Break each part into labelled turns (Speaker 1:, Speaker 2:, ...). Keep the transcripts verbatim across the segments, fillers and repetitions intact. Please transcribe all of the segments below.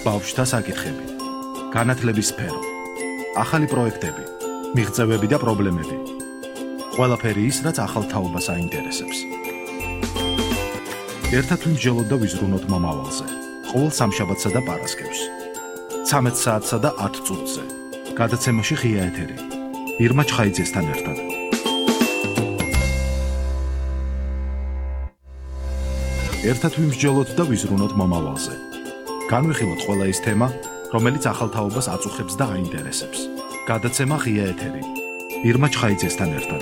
Speaker 1: ბავშვთა საკითხები, განათლების სფერო, ახალი პროექტები, მიღწევები და პრობლემები. ყველაფერი ის, რაც ახალ თაობას აინტერესებს. ერთად ვიმსჯელოთ და ვიზრუნოთ მომავალზე. ყოველ სამშაბათსა და პარასკევს. ცამეტ საათსა და ათ წუთზე. გადაცემაში ღია ეთერი. ირმა ჩხაიძესთან ერთად. ერთად ვიმსჯელოთ და ვიზრუნოთ მომავალზე. განვიხილოთ ყველა ის თემა, რომელიც ახალ თაობას აწუხებს და აინტერესებს. გადაცემა ღია ეთერი. ირმა ჩხაიძესთან ერთად.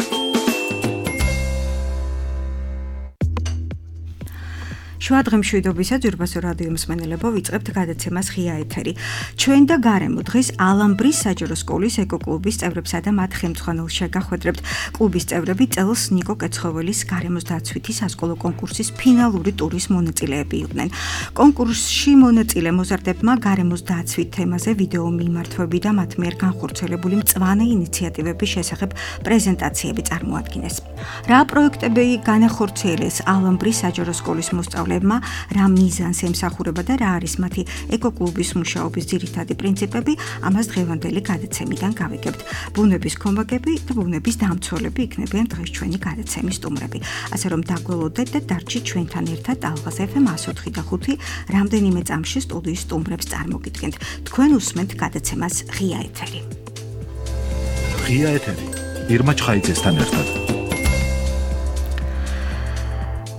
Speaker 2: შუა დღემშვიდობისა ძვირფასო რადიო მსმენელებო, ვიწყებთ გადაცემას ღია ეთერი. ჩვენ და გარემო დღეს ალამბრის საჯარო სკოლის ეკოკლუბის წევრებსა და მათ ხელმძღვანელს შეგახვედრებთ. კლუბის წევრები წელს ნიკო კეცხოველის გარემოს დაცვითი სასკოლო კონკურსის ფინალური ტურის მონაწილეები იყვნენ. კონკურსში მონაწილე მოზარდებმა გარემოს დაცვით თემაზე ვიდეო მიმართვები და მათ მიერ განხორციელებული მწვანე ინიციატივების შესახებ პრეზენტაციები წარმოადგინეს. რა პროექტები განახორციელეს ალამბრის საჯარო სკოლის მოსწავლეებმა, რა მიზანს ემსახურება და რა არის მათი ეკოკლუბის მუშაობის ძირითადი პრინციპები, ამას დღევანდელი გადაცემიდან გავიგებთ. ბუნების კომბაგები და ბუნების დამცველები იქნებიან დღეს ჩვენი გადაცემის სტუმრები. ასე რომ დაგველოდეთ და დარჩით ჩვენთან ერთად ალღაზ ეფ ემ εκατო ოთხი და ხუთი რამდენიმე წამში სტუდიის სტუმრებს წარმოგიდგენთ. თქვენ უსმენთ გადაცემას ღია ეთერი.
Speaker 1: ღია ეთერი. ირმა ჩხაიძესთან ერთად.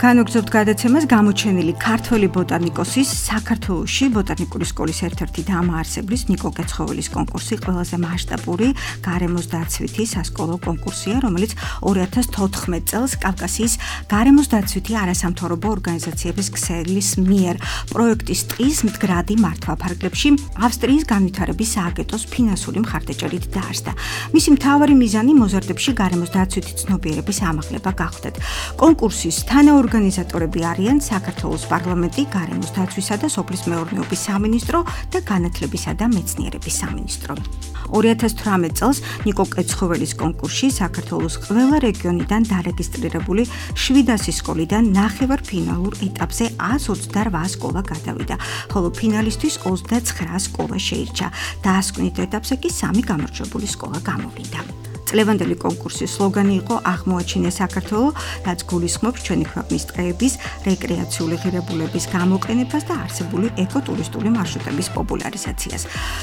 Speaker 2: განვგრძობთ გადაცემას გამოჩენილი ქართველი ბოტანიკოსის საქართველოში ბოტანიკური სკოლის ერთ-ერთი დამაარსებლის ნიკო კეცხოველის კონკურსი ყველაზე მასშტაბური გარემოს დაცვითი სასკოლო კონკურსია, რომელიც ორი ათას თოთხმეტ წელს კავკასიის გარემოს დაცვითი არასამთავრობო ორგანიზაციების ქსელის მიერ პროექტის ტყის მდგრადი მართვა ფარგლებში ავსტრიის განვითარების სააგენტოს ფინანსური მხარდაჭერით დაარსდა. მისი მთავარი მიზანი მოზარდებში გარემოს დაცვითი ცნობიერების ამაღლება გახდათ. კონკურსის თანაორგანიზატორები ორგანიზატორები არიან საქართველოს პარლამენტი, გარემოს დაცვისა და სოფლის მეურნეობის სამინისტრო და განათლებისა და მეცნიერების სამინისტრო. ორი ათას თვრამეტ წელს ნიკო კეცხოველის კონკურსში საქართველოს ყველა რეგიონიდან დარეგისტრირებული შვიდასი სკოლიდან ნახევარფინალურ ეტაპზე ას ოცდარვა სკოლა გადავიდა, ხოლო ფინალისტვის ოცდაცხრა სკოლა შეირჩა. დასკვნით ეტაპზე კი სამი გამარჯვებული სკოლა გამოვიდა. წლევანდელი კონკურსის სლოგანი იყო აღმოაჩინე საქართველო, რაც გულისხმობს ჩვენი ქვეყნის ტყეების, რეკრეაციული ღირებულების გამოყენებას და არსებული ეკოტურისტული მარშრუტების პოპულარიზაციას.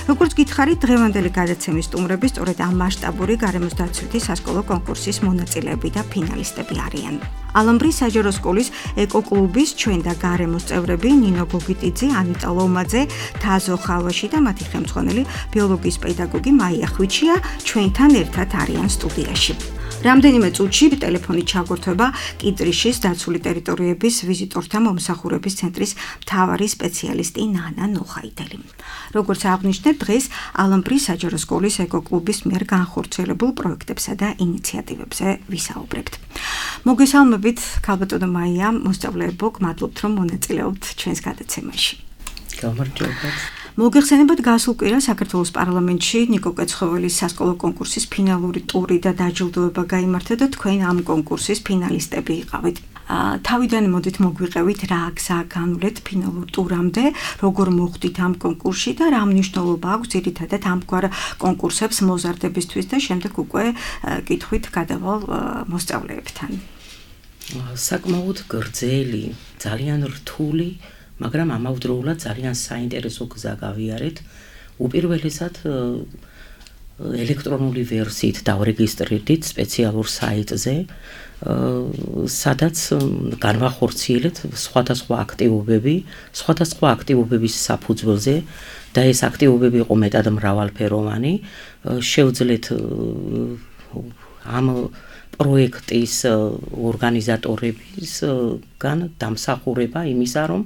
Speaker 2: როგორც გითხარით, დღევანდელი გადაცემის სტუმრები სწორედ ამ მასშტაბური გარემოს დაცვითი სასკოლო კონკურსის მონაწილეები და ფინალისტები არიან. ალამბრის საჯარო სკოლის ეკოკლუბის ჩვენ და გარემოს წევრები ნინო გოგიტიძე, ანიტა ლომაძე, თაზო ხალვაში და მათი ხელმძღვანელი ბიოლოგიის პედაგოგი მაია ხვიჩია ჩვენთან ერთად არიან სტუდიაში. რამდენიმე წუთში ტელეფონით ჩაგორთვება კიტრიშის დაცული ტერიტორიების ვიზიტორთა მომსახურების ცენტრის მთავარი სპეციალისტი ნანა ნოხაიდელი. როგორც აღნიშნეთ, დღეს ალამბრის საჯარო სკოლის ეკოკლუბის მიერ განხორციელებულ პროექტებსა და ინიციატივებზე ვისაუბრებთ. მოგესალმებით, ქალბატონო მაია, მოსწავლეებო, გმადლობთ, რომ მონაწილეობთ ჩვენს გადაცემაში.
Speaker 3: გამარჯობათ.
Speaker 2: მოგეხსენებათ, გასულ კვირას საქართველოს პარლამენტში ნიკო კეცხოველის სასკოლო კონკურსის ფინალური ტური და დაჯილდოება გაიმართა და თქვენ ამ კონკურსის ფინალისტები იყავით. თავიდან მოდით მოგვიყევით, რა გზა განვლეთ ფინალურ ტურამდე, როგორ მოხვდით ამ კონკურსში და რა მნიშვნელობა აქვს ძირითადად ამგვარ კონკურსებს მოზარდებისთვის და შემდეგ უკვე კითხვით გადავალ მოსწავლეებთან.
Speaker 3: საკმაოდ გრძელი, ძალიან რთული, მაგრამ ამავდროულად ძალიან საინტერესო გზა გავიარეთ. უპირველესად ელექტრონული ვერსიით დავრეგისტრირდით სპეციალურ საიტზე, სადაც განვახორციელეთ სხვადასხვა აქტივობები, სხვადასხვა აქტივობების საფუძველზე და ეს აქტივობები იყო მეტად მრავალფეროვანი. შევძლეთ ამ პროექტის ორგანიზატორებისგან დამსახურება იმისა, რომ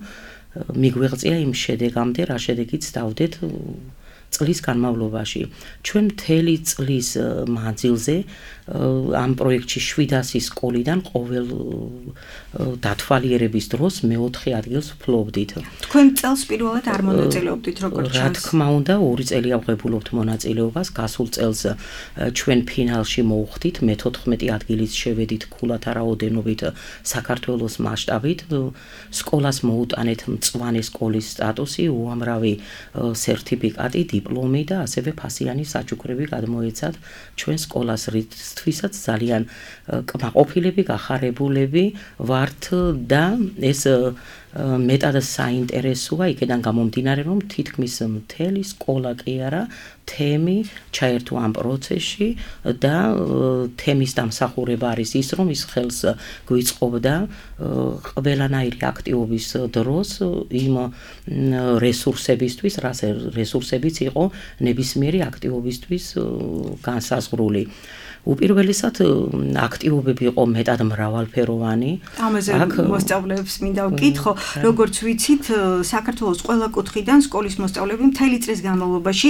Speaker 3: მიგვეღწია იმ შედეგამდე, რა შედეგიც დავდეთ წლის განმავლობაში. ჩვენ მთელი წლის მანძილზე ამ პროექტში შვიდასი სკოლიდან ყოველ დათვალიერების დროს მეოთხე ადგილს ვფლობდით.
Speaker 2: თქვენ წელს პირველად არ მონაწილეობდით როგორც
Speaker 3: რა თქმა უნდა, ორი წელია ვღებულობთ მონაწილეობას. გასულ წელს ჩვენ ფინალში მოვხვდით, მეთოთხმეტი ადგილით შევედით ქულათა რაოდენობით საქართველოს მასშტაბით. სკოლას მოუტანეთ მწვანე სკოლის სტატუსი, უამრავი სერტიფიკატი, დიპლომი და ასევე ფასიანი საჩუქრები გადმოეცათ ჩვენ სკოლას, რითვისაც ძალიან კმაყოფილები, გახარებულები ვართ და ეს მეტად საინტერესოა იქიდან გამომდინარე, რომ თითქმის მთელი სკოლა კი არა, თემი ჩაერთო ამ პროცესში და თემის დამსახურება არის ის, რომ ის ხელს გვიწყობდა ყველანაირი აქტივობის დროს იმ რესურსებისთვის, რა რესურსებიც იყო ნებისმიერი აქტივობისთვის განსაზღვრული. უპირველესად აქტივობები იყო მეტად მრავალფეროვანი.
Speaker 2: ამაზე მოსწავლეებს მინდა ვკითხო, როგორც ვიცით, საქართველოს ყველა კუთხიდან სკოლის მოსწავლეები მთელი წლის განმავლობაში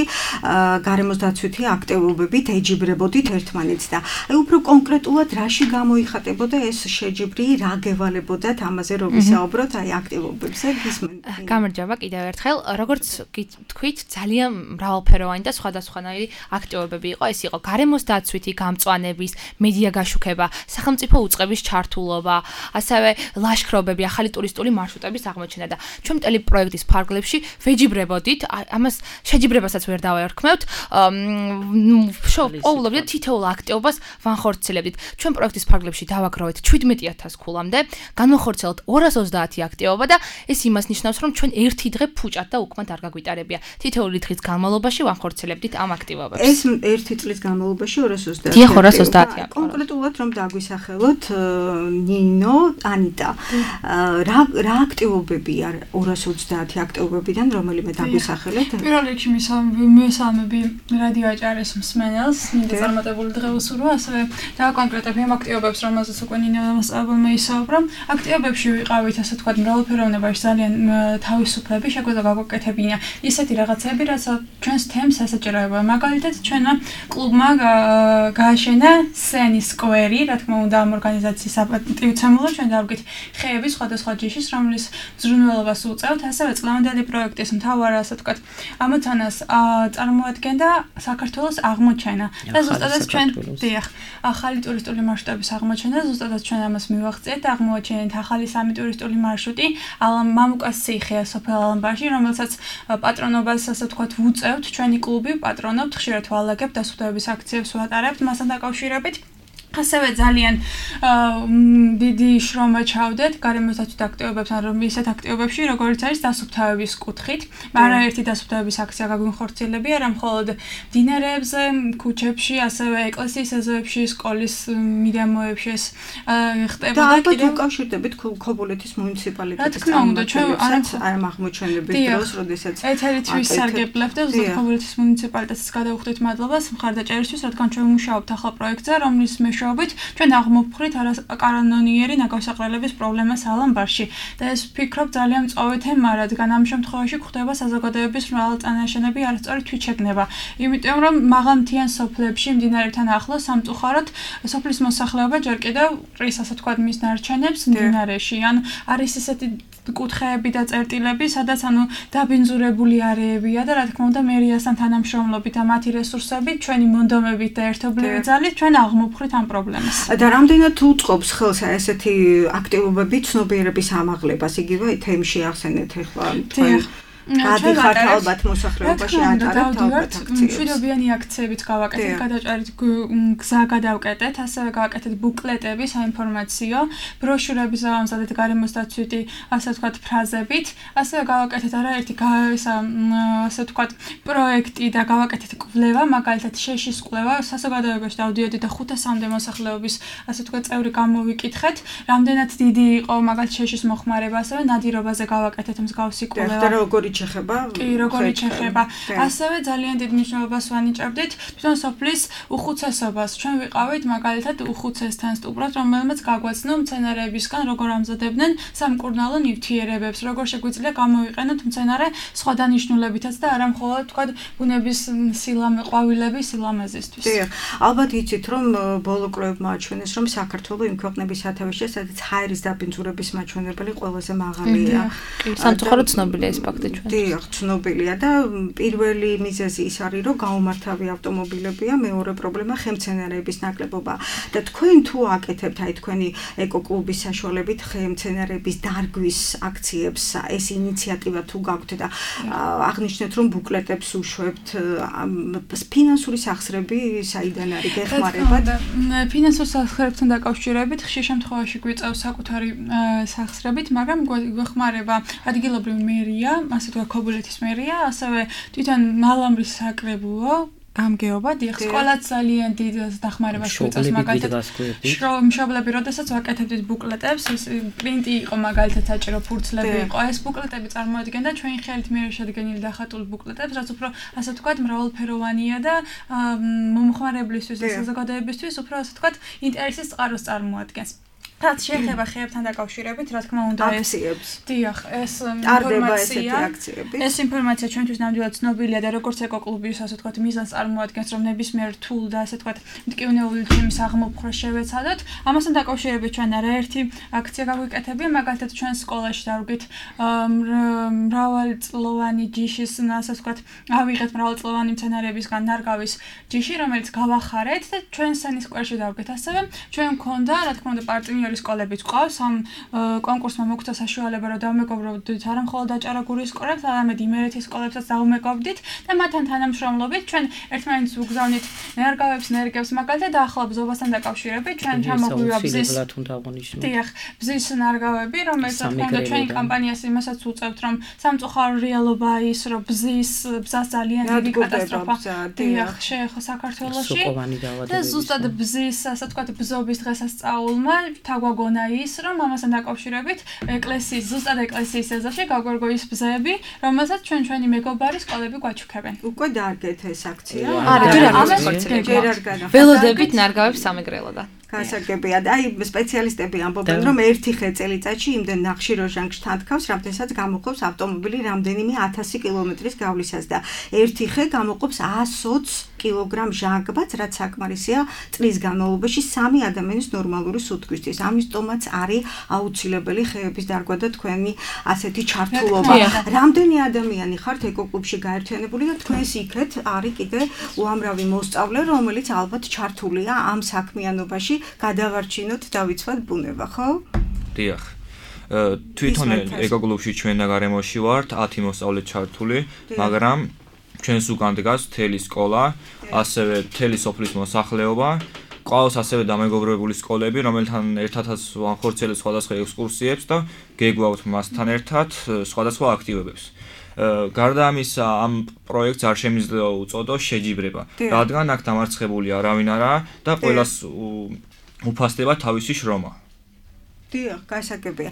Speaker 2: გარემოს დაცვითი აქტივობებით ეჯიბრებოდით ერთმანეთს და აი უფრო კონკრეტულად რაში გამოიხატებოდა ეს შეჯიბრი, რა გევალებოდათ ამაზე რომ ვისაუბროთ აი აქტივობებზე გისმენთ.
Speaker 4: გამარჯობა კიდევ ერთხელ, როგორც თქვით, ძალიან მრავალფეროვანი და სხვადასხვანაირი აქტივობები იყო. ეს იყო გარემოს დაცვითი წვანების, მედია გაშუქება, სახელმწიფო უწყების ჩართულობა, ასევე ლაშქრობები, ახალი ტურისტული მარშრუტების აღმოჩენა და ჩვენ მთელი პროექტის ფარგლებში ვეჯიბრებოდით, ამას შეჯიბრებასაც ვერ დავაერქმევთ, ყოველდღიურად თითოეულ აქტივობას ვანხორციელებდით. ჩვენ პროექტის ფარგლებში დავაგროვეთ შვიდმეტი ათასი ქულამდე, განვახორციელოთ ორას ოცდაათი აქტივობა და ეს იმას ნიშნავს, რომ ჩვენ ერთი დღე ფუჭად და უკმად არ გაგვიტარებია. თითოეული დღის განმავლობაში ვანხორციელებდით ამ აქტივობებს.
Speaker 2: ეს ერთი წლის განმავლობაში ორას ოცდაათი
Speaker 4: ორას ოცდაათი
Speaker 2: კონკრეტულად რომ დაგვისახელოთ ნინო, ანიტა, რა რა აქტივობები არ ორას ოცდაათი აქტივობებიდან რომელიმე დაგვისახელეთ?
Speaker 5: პირველ რიგში მესალმები რადიო აჭარის მსმენელს, მინდა წარმატებული დღე უსურვო, ასევე დავაკონკრეტებ იმ აქტივობებს, რომელზეც უკვე ნინო მასწავლებელმა ისაუბრა. აქტივობებში ვიყავით, ასე ვთქვათ, მრავალფეროვნებაში ძალიან თავისუფლები, შეგვიძლია გავაკეთებინა ისეთი რაღაცები, რაც ჩვენს თემს ესაჭიროება. მაგალითად, ჩვენმა კლუბმა გააშენა სენის სკვერი, რა თქმა უნდა, ამ ორგანიზაციის საპატივცემულოდ ჩვენ დავგით ხეების სხვადასხვა ჯიშის, რომლის მზრუნველობას უწევთ, ასევე წლევანდელი პროექტის მთავარ, ასე ვთქვათ, ამოცანას წარმოადგენდა საქართველოს აღმოჩენა. და ზუსტადაც ჩვენ დიახ, ახალი ტურისტული მარშრუტების აღმოჩენა, ზუსტადაც ჩვენ ამას მივახციეთ და აღმოაჩენთ ახალი სამი ტურისტული მარშრუტი მამუკას ციხე სოფელ ალანბაში, რომელსაც პატრონობას, ასე ვთქვათ, ვუწევთ ჩვენი კლუბი, პატრონობთ, ხშირად ვალაგებთ დასუფთავების აქციებს ვატარებთ მასთან დაკავშირებით. ასევე ძალიან დიდი შრომა ჩავდეთ გარემოს დაცვითი აქტივობებთან, რომ ისეთ აქტივობებში, როგორც არის დასუფთავების კუთხით, არაერთი დასუფთავების აქცია გაგვიხორციელებია, არა მხოლოდ მდინარეებზე, ქუჩებში, ასევე ეკლესიის ეზოებში, სკოლის მიდამოებში ეს ხდებოდა.
Speaker 2: და ალბათ უკავშირდებით ქობულეთის მუნიციპალიტეტის წარმომადგენლებს ამ აღმოჩენების დროს, როდესაც
Speaker 5: ეთერით ვისარგებლებთ და ზუსტად ქობულეთის მუნიციპალიტეტს გადავუხდით მადლობას მხარდაჭერისთვის, რადგან ჩვენ ვმუშაობთ ახალ პროექტზე, რომლის ჩვენ აღმოფხრით არაკანონიერი ნაკავსაყრელების პრობლემას ალანბარში და ეს ვფიქრობ ძალიან მწვავე თემა, რადგან ამ შემთხვევაში გვხდება საზოგადოების მრავალწანაშენები არასწორი თვითშეგნება. იმიტომ რომ მაღალმთიან სოფლებში მდინარეთან ახლოს სამწუხაროდ სოფლის მოსახლეობა ჯერ კიდევ ყრის, ასე ვთქვათ, მის ნარჩენებს მდინარეში. ან არის ესეთი კუთხეები და წერტილები, სადაც ანუ დაბინძურებული არეებია და რა თქმა უნდა მერიასთან თანამშრომლობით და მათი რესურსებით, ჩვენი მონდომებით და ერთობლივი ძალით ჩვენ აღმოფხრით ამ პრობლემას.
Speaker 2: და რამდენად უწყობს ხელს ესეთი აქტივობები ცნობიერების ამაღლებას, იგივე თემში ახსენეთ ახლა თქვენ გადიხართ ალბათ მოსახლეობაში ატარებთ ალბათ აქციებს.
Speaker 5: მშვიდობიანი აქციებიც გავაკეთეთ, გადაჭარით გზა გადავკეტეთ, ასევე გავაკეთეთ ბუკლეტები, საინფორმაციო, ბროშურები ზავამზადეთ გარემოს დაცვითი, ასე ვთქვათ, ფრაზებით, ასევე გავაკეთეთ არაერთი ასე ვთქვათ, პროექტი და გავაკეთეთ კვლევა, მაგალითად შეშის კვლევა, საზოგადოებაში დავდიოდით და ხუთასამდე მოსახლეობის, ასე ვთქვათ, წევრი გამოვიკითხეთ, რამდენად დიდი იყო მაგალითად შეშის მოხმარება, ასევე ნადირობაზე გავაკეთეთ მსგავსი კვლევა.
Speaker 2: ჩეხება?
Speaker 5: კი, როგორი ჩეხება. ასევე ძალიან დიდ მნიშვნელობას ვანიჭებდით თვითონ სოფლის უხუცესობას. ჩვენ ვიყავით მაგალითად უხუცესთან სტუბრად, რომელმაც გაგვაცნო მცენარეებისგან როგორ ამზადებდნენ სამკურნალო ნივთიერებებს, როგორ შეგვიძლია გამოვიყენოთ მცენარე სხვა დანიშნულებითაც და არა მხოლოდ თქვა ბუნების სილამე, ყვავილების სილამეზისთვის.
Speaker 2: დიახ, ალბათ იცით რომ ბოლო კვლევებმა აჩვენეს რომ საქართველოს იმ ქვეყნების სათავეშია, სადაც ჰაერის დაბინძურების მაჩვენებელი ყველაზე მაღალია.
Speaker 4: კი, სამწუხაროდ ცნობილია ეს ფაქტი ჩვენ.
Speaker 2: დიახ, ცნობილია და პირველი მიზეზი ის არის რომ გაუმართავი ავტომობილებია, მეორე პრობლემა ხემცენარეების ნაკლებობა. და თქვენ თუ აკეთებთ აი თქვენი ეკოკლუბის საშუალებით ხემცენარეების დარგვის აქციებს, ეს ინიციატივა თუ გაქვთ და აღნიშნეთ რომ ბუკლეტებს უშვებთ, ფინანსური სახსრები საიდან არის გეხმარებათ?
Speaker 5: ფინანსურ სახსრებთან დაკავშირებით ხშირ შემთხვევაში გვიწევს საკუთარი სახსრებით, მაგრამ გვეხმარება ადგილობრივი მერია, ასე თქვა ქობულეთის მერია, ასევე თვითონ მალამრის საკრებულო გამგეობა, დიახ, სკოლაც ძალიან დიდ დახმარებას გვიწევს მაგალითად. მშობლები, როდესაც ვაკეთებდით ბუკლეტებს, ეს პრინტი იყო მაგალითად საჭირო, ფურცლები იყო, ეს ბუკლეტები წარმოადგენდა ჩვენი ხელით მიერ შედგენილი დახატული ბუკლეტებს, რაც უფრო ასე ვთქვათ, მრავალფეროვანია და მომხმარებლისთვის და საზოგადოებისთვის უფრო ასე ვთქვათ, ინტერესის წყაროს წარმოადგენს. რაც შეეხება ხეებთან დაკავშირებით, რა თქმა უნდა, ეს დიახ, ეს ინფორმაცია, ეს ინფორმაცია ჩვენთვის ნამდვილად ცნობილია და როგორც ეკოკლუბის, ასე ვთქვათ, მიზანს წარმოადგენს, რომ ნებისმიერ თულ და ასე ვთქვათ, მტკივნეული თემის აღმოფხვრა შევეცადოთ. ამასთან დაკავშირებით ჩვენ არაერთი აქცია გაგვიკეთებია, მაგალითად ჩვენ სკოლაში დავგით მრავალწლოვანი ჯიშის, ასე ვთქვათ, ავიღეთ მრავალწლოვანი მცენარეებისგან ნარგავის ჯიში, რომელიც გავახარეთ და ჩვენ სენის სკვერში დავგეთ. ასევე ჩვენ მქონდა, რა თქმა უნდა, პარტნიორი სკოლებიც ყავს, ამ კონკურსმა მოგვცა საშუალება, რომ დავმეგობრობდით არა მხოლოდ აჭარაგურის სკოლებს, არამედ იმერეთის სკოლებსაც დავმეგობრდით და მათთან თანამშრომლობით ჩვენ ერთმანეთს ვუგზავნით ნერგავებს, ნერგებს, მაგალითად ახლა ბზობასთან დაკავშირებით ჩვენ ჩამოგვივა ბზის დიახ, ბზის ნარგავები, რომელიც რა თქმა უნდა ჩვენი კამპანიას იმასაც უწევთ, რომ სამწუხარო რეალობა ის, რომ ბზის ბზას ძალიან დიდი კატასტროფა დიახ შეეხო საქართველოში და ზუსტად ბზის, ასე ვთქვათ, ბზობის დღესასწაულმა გვაგონა ის, რომ ამასთან დაკავშირებით ეკლესიის, ზუსტად ეკლესიის ეზოში გაგვერგო ის ბზები, რომელსაც ჩვენ ჩვენი მეგობარი სკოლები გვაჩუქებენ.
Speaker 2: უკვე დაარგეთ ეს აქცია?
Speaker 4: არა, ჯერ არ განა. ველოდებით ნარგავებს სამეგრელოდან.
Speaker 2: გასაგებია და აი სპეციალისტები ამბობენ რომ ერთი ხე წელიწადში იმდენ ნახშირორჟანგს თანთქავს, რამდენსაც გამოყოფს ავტომობილი რამდენიმე ათასი კილომეტრის გავლისას და ერთი ხე გამოყოფს ასოც კილოგრამ ჟანგბაც, რაც საკმარისია წლის განმავლობაში სამი ადამიანის ნორმალური სუთქვისთვის. ამიტომაც არის აუცილებელი ხეების დარგვა და თქვენი ასეთი ჩართულობა. რამდენი ადამიანი ხართ ეკოკლუბში გაერთიანებული და თქვენს იქეთ არის კიდე უამრავი მოსწავლე, რომელიც ალბათ ჩართულია ამ საქმიანობაში გადავარჩინოთ დავიცვათ ბუნება, ხო?
Speaker 6: დიახ. თვითონ ეკოკლუბში ჩვენ და გარემოში ვართ ათი მოსწავლე ჩართული, მაგრამ ჩვენს უკან დგას მთელი სკოლა, ასევე მთელი სოფლის მოსახლეობა. ყავს ასევე დამეგობრებული სკოლები, რომელთან ერთადაც ვახორციელებთ სხვადასხვა ექსკურსიებს და გეგვავნთ მასთან ერთად სხვადასხვა აქტივობებს. გარდა ამისა, ამ პროექტს არ შემიძლია უწოდო შეჯიბრება, რადგან აქ დამარცხებული არავინ არაა და ყველას უფასდება თავისი შრომა.
Speaker 2: დიახ, გასაგებია.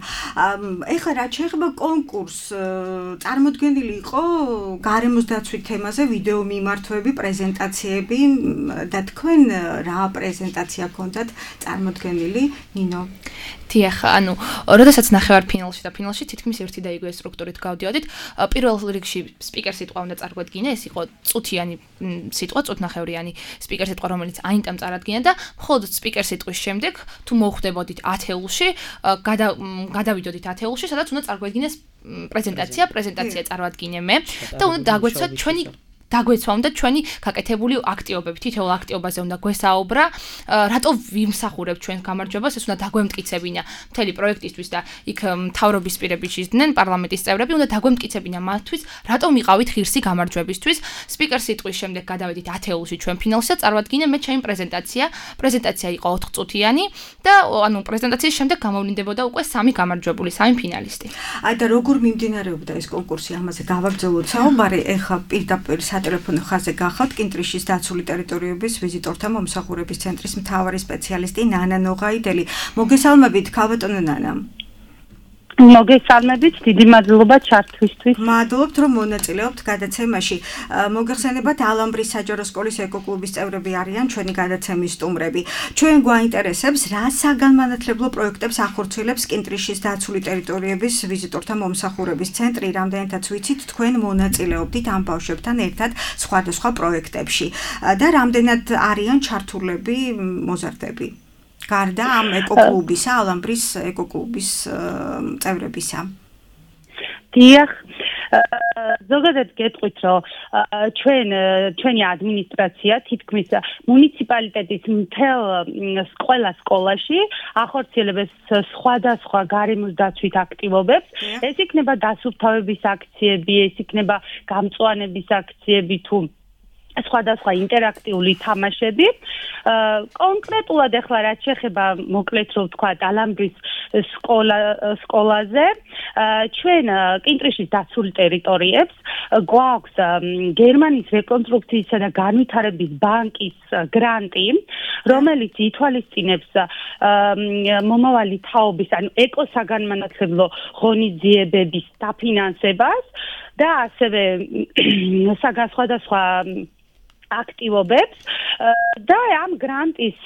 Speaker 2: ეხლა რა შეეხება კონკურსს, წარმოდგენილი იყო გარემოს დაცვის თემაზე ვიდეო მიმართვები, პრეზენტაციები და თქვენ რა პრეზენტაცია გქონდათ წარმოდგენილი, ნინო?
Speaker 4: დიახ, ანუ, როდესაც ნახევარ ფინალში და ფინალში თითქმის ერთი და იგივე სტრუქტურით გავდიოდით, პირველ რიგში სპიკერ სიტყვა უნდა წარგვადგინა, ეს იყო წუთიანი სიტყვა, წუთნახევრიანი სპიკერ სიტყვა, რომელიც აინტამ წარადგინა და მხოლოდ სპიკერ სიტყვის შემდეგ, თუ მოხვდებოდით ათეულში, გადავიდოდით ათეულში, სადაც უნდა წარგვედგინეს პრეზენტაცია, პრეზენტაცია წარვადგინე მე და უნდა დაგვეცვათ ჩვენი დაგვეცვა უნდა ჩვენი გაკეთებული აქტივობები, თითოეულ აქტივობაზე უნდა გვესაუბრა, რატო ვიმსახურებთ ჩვენს გამარჯვებას, ეს უნდა დაგვემტკიცებინა მთელი პროექტისთვის და იქ მთავრობის პირები შეძდნენ, პარლამენტის წევრები უნდა დაგვემტკიცებინა მათთვის, რატო მიყავით ღირსი გამარჯვებისთვის. სპიკერ სიტყვის შემდეგ გადავედით ათეულში ჩვენ ფინალში და წარვადგინე მე ჩემი პრეზენტაცია. პრეზენტაცია იყო ოთხწუთიანი და ანუ პრეზენტაციის შემდეგ გამოვლინდებოდა უკვე სამი გამარჯვებული, სამი ფინალისტი.
Speaker 2: აი და როგორ მიმდინარეობდა ეს კონკურსი, ამაზე გავაგრძელოთ საუბარი, ეხლა პირდაპირ სატელეფონო ხაზზე გახავთ კინტრიშის დაცული ტერიტორიების ვიზიტორთა მომსახურების ცენტრის მთავარი სპეციალისტი ნანა ნოღაიდელი. მოგესალმებით, ქალბატონო ნანა.
Speaker 7: მოგესალმებით, დიდი მადლობა ჩართვისთვის.
Speaker 2: მადლობთ, რომ მონაწილეობთ გადაცემაში. მოგეხსენებათ, ალამბრის საჯარო სკოლის ეკოკლუბის წევრები არიან ჩვენი გადაცემის სტუმრები. ჩვენ გვაინტერესებს, რა საგანმანათლებლო პროექტებს ახორციელებს კინტრიშის დაცული ტერიტორიების ვიზიტორთა მომსახურების ცენტრი, რამდენადაც ვიცით, თქვენ მონაწილეობდით ამ ბავშვებთან ერთად სხვადასხვა პროექტებში და რამდენად არიან ჩართულები მოზარდები. გარდა ამ ეკოკლუბისა, ალამბრის ეკოკლუბის წევრებისა.
Speaker 7: დიახ, ზოგადად გეტყვით, რომ ჩვენ ჩვენი ადმინისტრაცია თითქმის მუნიციპალიტეტის მთელ ყველა სკოლაში ახორციელებს სხვადასხვა გარემოს დაცვით აქტივობებს. ეს იქნება დასუფთავების აქციები, ეს იქნება გამწვანების აქციები თუ სხვადასხვა ინტერაქტიული თამაშები. კონკრეტულად ახლა რაც შეეხება მოკლედ რომ ვთქვა ალამბრის სკოლა სკოლაზე, ჩვენ კინტრიშის დაცულ ტერიტორიებს გვაქვს გერმანიის რეკონსტრუქციისა და განვითარების ბანკის გრანტი, რომელიც ითვალისწინებს მომავალი თაობის, ანუ ეკოსაგანმანათლებლო ღონისძიებების დაფინანსებას და ასევე სხვადასხვა აქტივობებს და ამ გრანტის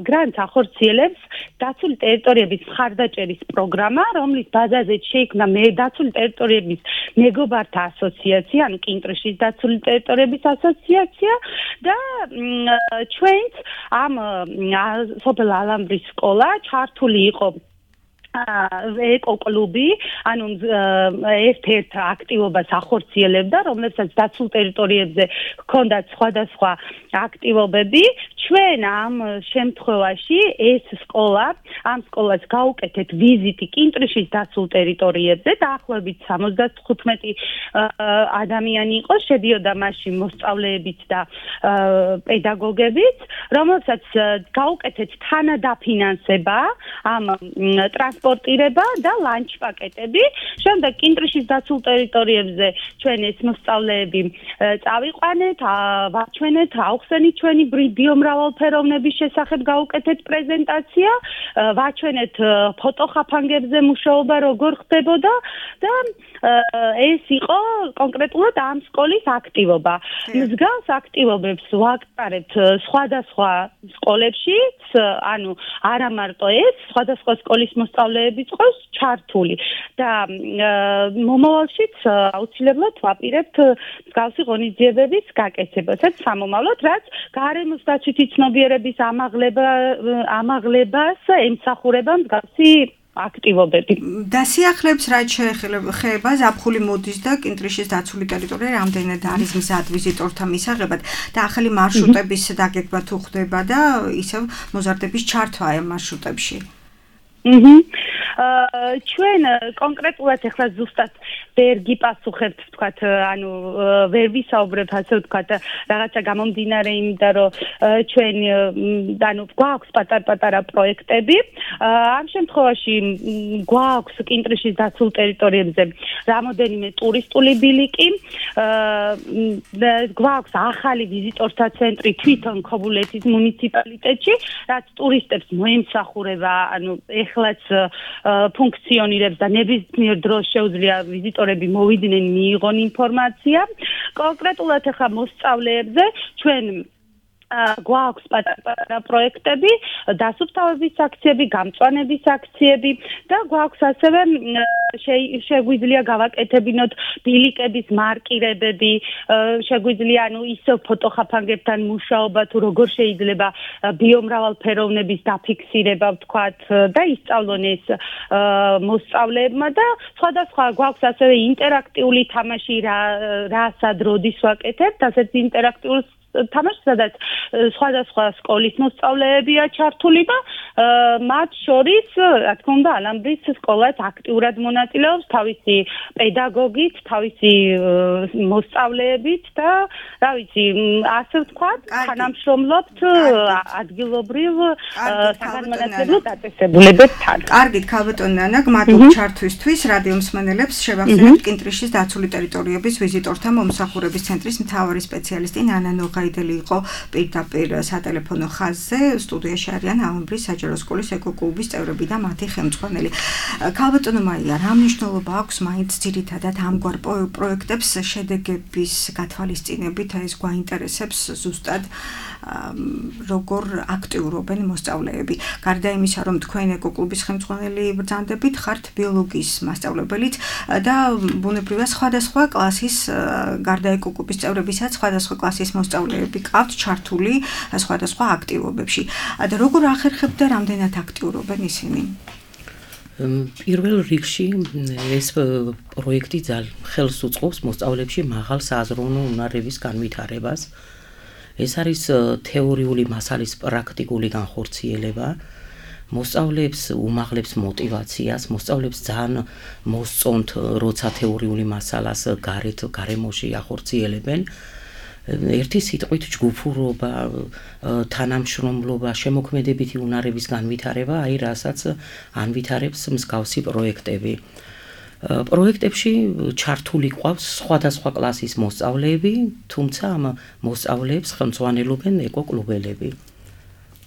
Speaker 7: გრანტს ახორციელებს დაცული ტერიტორიების მხარდაჭერის პროგრამა, რომლის ბაზაზე შეიქმნა მე დაცული ტერიტორიების მეგობართა ასოციაცია, ანუ კინტრიშის დაცული ტერიტორიების ასოციაცია და ჩვენც ამ სოფელ ალამბრის სკოლა ჩართული იყო ეკოკლუბი, ანუ ერთ-ერთ აქტივობას ახორციელებდა, რომლებსაც დაცულ ტერიტორიებზე ჰქონდათ სხვადასხვა აქტივობები. ჩვენ ამ შემთხვევაში ეს სკოლა, ამ სკოლას გავუკეთეთ ვიზიტი კინტრიშის დაცულ ტერიტორიებზე, დაახლოებით სამოცდათხუთმეტი ადამიანი იყო, შედიოდა მასში მოსწავლეებიც და პედაგოგებიც, რომელსაც გავუკეთეთ თანადაფინანსება ამ ტრანსპორტირება და ლანჩ პაკეტები. შემდეგ კინტრიშის დაცულ ტერიტორიებზე ჩვენ ეს მოსწავლეები წავიყვანეთ, ვაჩვენეთ, ავხსენით ჩვენი ბიომრავალფეროვნების შესახებ გავუკეთეთ პრეზენტაცია, ვაჩვენეთ ფოტოხაფანგებზე მუშაობა როგორ ხდებოდა და ეს იყო კონკრეტულად ამ სკოლის აქტივობა. მსგავს აქტივობებს ვაკეთებთ სხვადასხვა სკოლებში, ანუ არა მარტო ეს, სხვადასხვა სკოლის მოსწავლეებიც ყავს ჩართული და მომავალშიც აუცილებლად ვაპირებთ მსგავსი ღონისძიებების გაკეთებასაც სამომავლოდ, რაც გარემოს დაცვითი ცნობიერების ამაღლება ამაღლებას ემსახურება მსგავსი აქტივობები.
Speaker 2: დასიახლებს რაც შეეხება ზაფხული მოდის და კინტრიშის დაცული ტერიტორია რამდენად არის მზად ვიზიტორთა მისაღებად და ახალი მარშრუტების დაგეგმა თუ ხდება და ისევ მოზარდების ჩართვა ამ მარშრუტებში.
Speaker 7: აჰა. ჩვენ კონკრეტულად ახლა ზუსტად ვერ გიპასუხებთ, ვთქვათ, ანუ ვერ ვისაუბრებთ, ასე ვთქვათ, რაღაცა გამომდინარე იმიდან, რომ ჩვენ ანუ გვაქვს პატარ-პატარა პროექტები. ამ შემთხვევაში გვაქვს კინტრიშის დაცულ ტერიტორიებზე რამოდენიმე ტურისტული ბილიკი, გვაქვს ახალი ვიზიტორთა ცენტრი თვითონ ქობულეთის მუნიციპალიტეტში, რაც ტურისტებს მოემსახურება, ანუ ეხლაც ფუნქციონირებს და ნებისმიერ დროს შეუძლია ვიზიტორები მოვიდნენ, მიიღონ ინფორმაცია. კონკრეტულად ახლა მოსწავლეებზე ჩვენ გვაქვს პატარ-პატარა პროექტები, დასუფთავების აქციები, გამწვანების აქციები და გვაქვს ასევე შეგვიძლია გავაკეთებინოთ ბილიკების მარკირებები, შეგვიძლია ანუ ისევ ფოტოხაფანგებთან მუშაობა თუ როგორ შეიძლება ბიომრავალფეროვნების დაფიქსირება, ვთქვათ, და ისწავლონ ეს მოსწავლეებმა და სხვადასხვა გვაქვს ასევე ინტერაქტიული თამაში, რასაც როდის ვაკეთებთ, ასეთ ინტერაქტიულ თამაშს, სადაც სხვადასხვა სკოლის მოსწავლეებია ჩართული და მათ შორის, რა თქმა უნდა, ალამბრის სკოლაც აქტიურად მონაწილეობს თავისი პედაგოგით, თავისი მოსწავლეებით და, რა ვიცი, ასე ვთქვათ, თანამშრომლობთ ადგილობრივ საგანმანათლებლო დაწესებულებებთან.
Speaker 2: კარგით, ქალბატონი ნანა, გმადლობთ ჩართვისთვის. რადიო მსმენელებს შევახსენებთ კინტრიშის დაცული ტერიტორიების ვიზიტორთა მომსახურების ცენტრის მთავარი სპეციალისტი ნანა ნოღაი ჩაიდელი იყო პირდაპირ სატელეფონო ხაზზე. სტუდიაში არიან აუმბრის საჯარო სკოლის ეკოკლუბის წევრები და მათი ხელმძღვანელი. ქალბატონო მაია, რა მნიშვნელობა აქვს მაინც ძირითადად ამგვარ პროექტებს შედეგების გათვალისწინებით, ეს გვაინტერესებს ზუსტად როგორ აქტიურობენ მოსწავლეები. გარდა იმისა, რომ თქვენ ეკოკლუბის ხელმძღვანელი ბრძანდებით, ხართ ბიოლოგიის მასწავლებელიც და ბუნებრივია სხვადასხვა კლასის გარდა ეკოკლუბის წევრებისაც სხვადასხვა კლასის მოსწავლეები ყავთ ჩართული სხვადასხვა აქტივობებში. და როგორ ახერხებთ და რამდენად აქტიურობენ ისინი?
Speaker 3: პირველ რიგში ეს პროექტი ძალიან ხელს უწყობს მოსწავლეებში მაღალ საზრუნო უნარების განვითარებას. ეს არის თეორიული მასალის პრაქტიკული განხორციელება. მოსწავლეებს უმაღლებს мотиваციას, მოსწავლეებს ძალიან მოსწონთ, როცა თეორიული მასალას გარეთ გარემოში ახორციელებენ. ერთი სიტყვით ჯგუფურობა, თანამშრომლობა, შემოქმედებითი უნარების განვითარება, აი რასაც ანვითარებს მსგავსი პროექტები. პროექტებში ჩართული ყავს სხვადასხვა კლასის მოსწავლეები, თუმცა ამ მოსწავლეებს ხელმძღვანელობენ ეკოკლუბელები.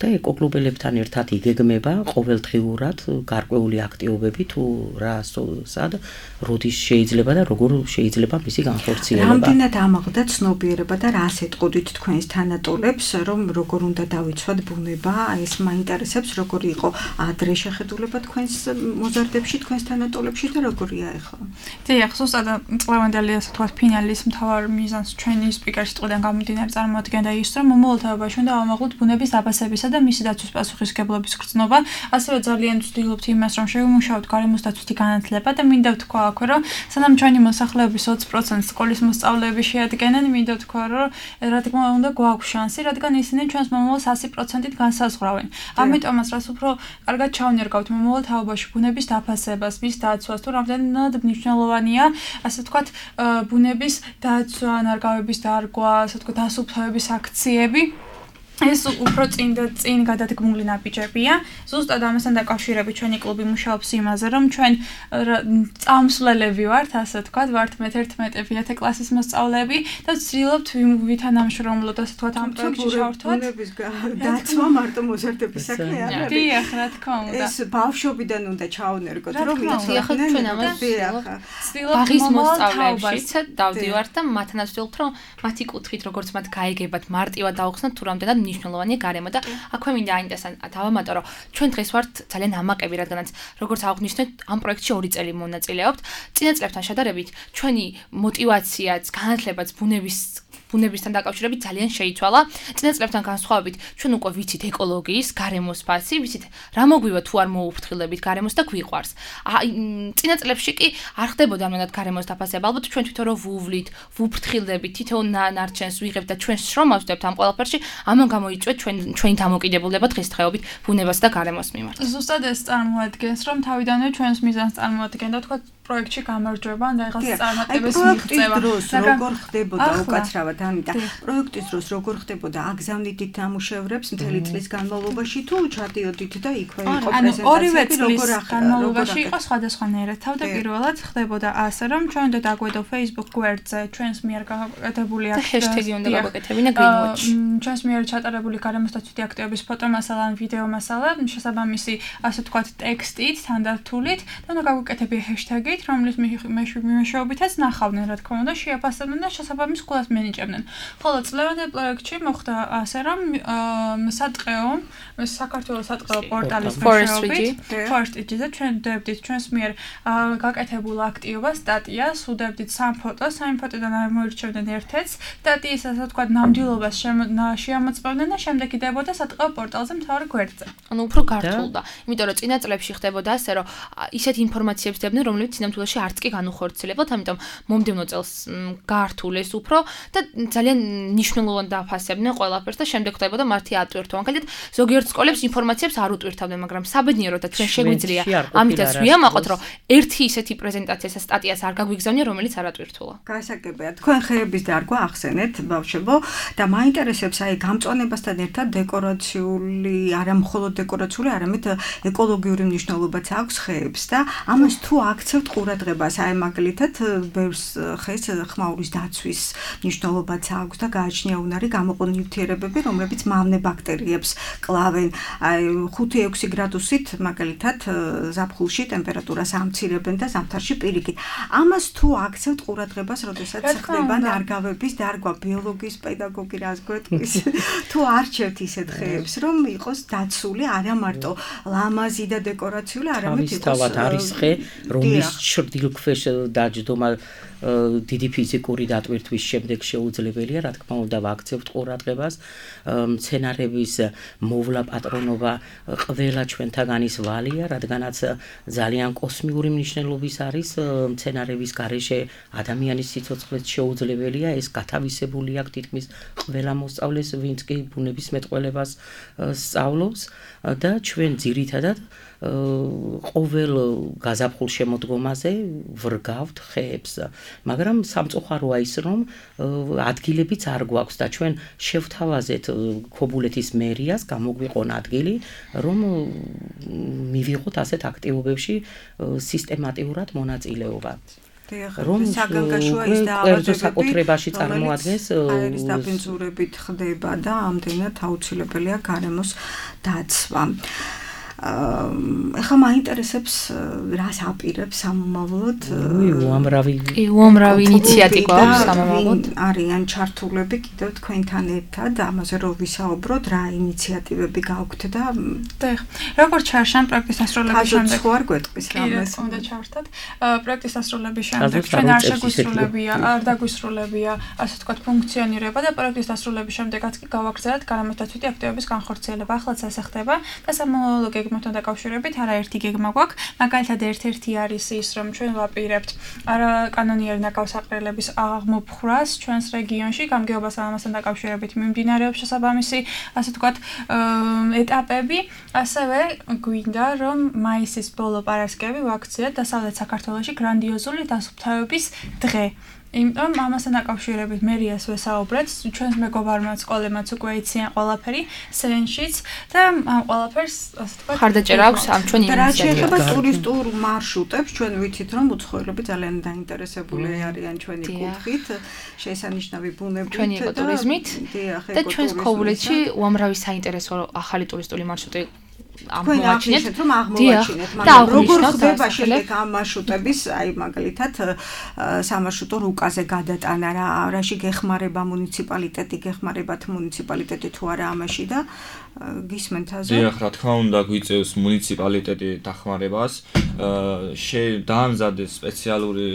Speaker 3: და ეკოკლუბელებთან ერთად იგეგმება ყოველდღიურად გარკვეული აქტივობები თუ რა სად როდის შეიძლება და როგორ შეიძლება მისი განხორციელება.
Speaker 2: რამდენად ამაღლდა ცნობიერება და რას ეტყოდით თქვენს თანატოლებს, რომ როგორ უნდა დავიცვათ ბუნება, ეს მაინტერესებს, როგორი იყო ადრე შეხედულება თქვენს მოზარდებში, თქვენს თანატოლებში და როგორია ახლა?
Speaker 5: დიახ, ზუსტად წლევანდელი ასე თქვათ ფინალის მთავარ მიზანს ჩვენი სპიკერის წოდან გამომდინარე წარმოადგენდა ის, რომ მომავალთაობაში უნდა ავამაღლოთ ბუნების დაფასებისა და მისი დაცვის პასუხისმგებლობის გრძნობა. ასევე ძალიან ვცდილობთ იმას, რომ შევიმუშაოთ გარემოს დაცვითი განათლება და მინდა ვთქვა აქვე, რომ სანამ ჩვენი მოსახლეობის ოცი პროცენტს სკოლის მოსწავლეები შეადგენენ, მინდა ვთქვა, რომ რა თქმა უნდა გვაქვს შანსი, რადგან ისინი ჩვენს მომავალს ასი პროცენტით განსაზღვრავენ. ამიტომაც რაც უფრო კარგად ჩავნერგავთ მომავალ თაობაში ბუნების დაფასებას, მის დაცვას, თუ რამდენად მნიშვნელოვანია, ასე ვთქვათ, ბუნების დაცვა, ნარგავების დარგვა, ასე ვთქვათ, დასუფთავების აქციები. ეს უფრო წინ და წინ გადადგმული ნაბიჯებია. ზუსტად ამასთან დაკავშირებით ჩვენი კლუბი მუშაობს იმაზე, რომ ჩვენ წამსვლელები ვართ, ასე ვთქვათ, ვართ მეთერთმეტე კლასის მოსწავლეები და ვცდილობთ ვითანამშრომლოთ, ასე ვთქვათ, ამ პროექტში ჩავერთვათ.
Speaker 2: ბუნების დაცვა მარტო მოზარდების საქმე არ არის.
Speaker 5: დიახ, რა თქმა უნდა.
Speaker 2: ეს ბავშვობიდან უნდა ჩავნერგოთ, რომ
Speaker 4: ეხლა ჩვენ ამას ბაღის მოსწავლეებშიც დავდივართ და მათთანაც ვცდილობთ, რომ მათი კუთხით როგორც მათ გაიგებათ, მარტივად დავხსნათ თუ რამდენად მნიშვნელოვანია გარემო და აქვე მინდა აინტერესან დავამატო, რომ ჩვენ დღეს ვართ ძალიან ამაყები, რადგანაც როგორც აღნიშნეთ, ამ პროექტში ორი წელი მონაწილეობთ. წინა წლებთან შედარებით ჩვენი мотиваციაც, განათლებაც ბუნების ბუნებისთან დაკავშირებით ძალიან შეიცვალა. წინა წლებთან განსხვავებით, ჩვენ უკვე ვიცით ეკოლოგიის, გარემოს ფასი, ვიცით რა მოგვივა თუ არ მოუფრთხილდებით გარემოს და გვიყვარს. წინა წლებში კი არ ხდებოდა ამანად გარემოს დაფასება. ალბათ ჩვენ თვითონ რო ვუვლით, ვუფრთხილდებით, თითოეულ ნარჩენს ვიღებთ და ჩვენ შრომავს ვდებთ ამ ყველაფერში, ამან გამოიწვეთ ჩვენ ჩვენი დამოკიდებულება დღესდღეობით ბუნებას და გარემოს მიმართ.
Speaker 5: ზუსტად ეს წარმოადგენს, რომ თავიდანვე ჩვენს მიზანს წარმოადგენდა, თქვა პროექტში გამარჯვება და იღაც წარმატებას მიღწევა.
Speaker 2: როგორ ხდებოდა უკაცრავად ამიტომ პროექტის დროს როგორ ხდებოდა აგზავნიდით ნამუშევრებს მთელი წლის განმავლობაში თუ ჩადიოდით და იქვე იყო პრეზენტაციები
Speaker 5: ორივე წლის განმავლობაში იყო სხვადასხვანაირად. თავდაპირველად ხდებოდა ასე, რომ ჩვენ უნდა დაგვედო Facebook გვერდზე ჩვენს მიერ გაკეთებული
Speaker 4: ჰეშტეგი უნდა გავაკეთებინა Greenwatch.
Speaker 5: ჩვენს მიერ ჩატარებული გარემოს დაცვითი აქტივობის ფოტომასალა ან ვიდეო მასალა შესაბამისი ასე ვთქვათ ტექსტით, თანდართულით და უნდა გავაკეთებია ჰეშტეგი რომლის მეშვეობითაც ნახავდნენ, რა თქმა უნდა, შეაფასებდნენ და შესაბამის კვლას მინიჭებდნენ. ხოლო წლევანდელ პროექტში მოხდა ასე, რომ სატყეო, საქართველოს სატყეო პორტალის მეშვეობით, Forest-ზე ჩვენ ვდებდით ჩვენს მიერ გაკეთებულ აქტივობას, სტატიას, უდევდით სამ ფოტოს, სამი ფოტოდან მოირჩევდნენ ერთ-ერთს, სტატიის ასე ვთქვათ ნამდვილობას შეამოწმებდნენ და შემდეგ იდებოდა სატყეო პორტალზე მთავარ გვერდზე.
Speaker 4: ანუ უფრო გართულდა, იმიტომ რომ წინა წლებში ხდებოდა ასე, რომ ისეთ ინფორმაციებს დებდნენ, რომლებიც სინამდვილეში არც კი განუხორციელებთ, ამიტომ მომდევნო წელს გართულეს უფრო და ძალიან მნიშვნელოვან დაფასებდნენ ყველაფერს და შემდეგ ხდებოდა მართი ატვირთვა. მაგალითად, ზოგიერთ სკოლებს ინფორმაციებს არ უტვირთავდნენ, მაგრამ საბედნიეროდ და ჩვენ შეგვიძლია ამიტაც ვიამაყოთ, რომ ერთი ისეთი პრეზენტაციას და სტატიას არ გაგვიგზავნია, რომელიც არ ატვირთულა.
Speaker 2: გასაგებია, თქვენ ხეების დარგვა ახსენეთ, ბავშვებო, და მაინტერესებს აი გამწვანებასთან ერთად დეკორაციული, არა მხოლოდ დეკორაციული, არამედ ეკოლოგიური მნიშვნელობაც აქვს ხეებს და ამას თუ აქცევთ ყურადღებას, აი მაგალითად ბევრს ხეს ხმაურის დაცვის მნიშვნელობაც აქვს და გააჩნია უნარი გამოყო ნივთიერებები, რომლებიც მავნე ბაქტერიებს კლავენ. აი ხუთი ექვსი გრადუსით მაგალითად ზაფხულში ტემპერატურას ამცირებენ და ზამთარში პირიქით. ამას თუ აქცევთ ყურადღებას, როდესაც ხდება ნარგავების დარგვა, ბიოლოგიის პედაგოგი რას გვეტყვის, თუ არჩევთ ისეთ ხეებს, რომ იყოს დაცული არა მარტო ლამაზი და დეკორაციული, არამედ იყოს
Speaker 3: თავად არის ხე, რომლის ჩრდილქვეშ დაჯდომა დიდი ფიზიკური დატვირთვის შემდეგ შეუძლებელია, რა თქმა უნდა, ვაქცევთ ყურადღებას, მცენარების მოვლა პატრონობა ყველა ჩვენთაგანის ვალია, რადგანაც ძალიან კოსმიური მნიშვნელობის არის მცენარების გარეშე ადამიანის სიცოცხლეც შეუძლებელია, ეს გათავისებული აქვს თითქმის ყველა მოსწავლეს, ვინც კი ბუნების მეტყველებას სწავლობს და ჩვენ ძირითადად ყოველ გაზაფხულ შემოდგომაზე ვრგავთ ხეებს, მაგრამ სამწუხაროა ის, რომ ადგილებიც არ გვაქვს და ჩვენ შევთავაზეთ ქობულეთის მერიას, გამოგვიყონ ადგილი, რომ მივიღოთ ასეთ აქტივობებში სისტემატიურად მონაწილეობა.
Speaker 2: რომ საგანგაშოა ის
Speaker 3: დაავადებები წარმოადგენს
Speaker 2: აერის დაბინძურებით ხდება და ამდენად აუცილებელია გარემოს დაცვა. ეხლა მაინტერესებს რას აპირებს სამომავლოდ?
Speaker 3: უამრავი
Speaker 4: კი, უამრავი ინიციატივა აქვს სამომავლოდ.
Speaker 2: არიან ჩართულები კიდევ თქვენთან ერთად, ამაზე რომ ვისაუბროთ, რა ინიციატივები გაქვთ და
Speaker 5: და როგორც ჩარშან პროექტის დასრულების შემდეგ
Speaker 2: ხო არ გვეტყვის რამეს
Speaker 5: უნდა ჩართოთ. პროექტის დასრულების შემდეგ ჩვენ არ შეგვისრულებია, არ დაგვისრულებია, ასე ვთქვათ, ფუნქციონირება და პროექტის დასრულების შემდეგაც კი გავაგრძელებთ გარემოსდაცვითი აქტივობის განხორციელება. ახლაც ასე ხდება და სამომავლო გეგმებთან დაკავშირებით არაერთი გეგმა გვაქვს. მაგალითად ერთ-ერთი არის ის, რომ ჩვენ ვაპირებთ არაკანონიერი ნაკავსაყრელების აღმოფხვრას ჩვენს რეგიონში, გამგეობას ამასთან დაკავშირებით მიმდინარეობს შესაბამისი, ასე ვთქვათ, ეტაპები. ასევე გვინდა, რომ მაისის ბოლო პარასკევი ვაქციოთ დასავლეთ საქართველოში გრანდიოზული დასუფთავების დღე. იმიტომ ამასთან დაკავშირებით მერიას ვესაუბრეთ, ჩვენს მეგობარმა სკოლებმაც უკვე იციან ყველაფერი, სენშიც და ამ ყველაფერს, ასე ვთქვათ,
Speaker 4: ხარდაჭერა აქვს ამ ჩვენ
Speaker 2: ინიციატივას. რა შეეხება ტურისტულ მარშრუტებს, ჩვენ ვიცით, რომ უცხოელები ძალიან დაინტერესებული არიან ჩვენი კუთხით, შესანიშნავი ბუნებით
Speaker 4: ჩვენი ეკოტურიზმით და ჩვენს ქობულეთში უამრავი საინტერესო ახალი ტურისტული მარშრუტი
Speaker 2: აღმოაჩინეთ, რომ აღმოვაჩინეთ, მაგრამ როგორ ხდება შემდეგ ამ მარშრუტების, აი მაგალითად, სამარშრუტო რუკაზე გადატანა, რა, რაში გეხმარება მუნიციპალიტეტი, გეხმარებათ მუნიციპალიტეტი თუ არა ამაში და გისმენთ აზე?
Speaker 6: დიახ, რა თქმა უნდა, გვიწევს მუნიციპალიტეტი დახმარებას. შე დაამზადეს სპეციალური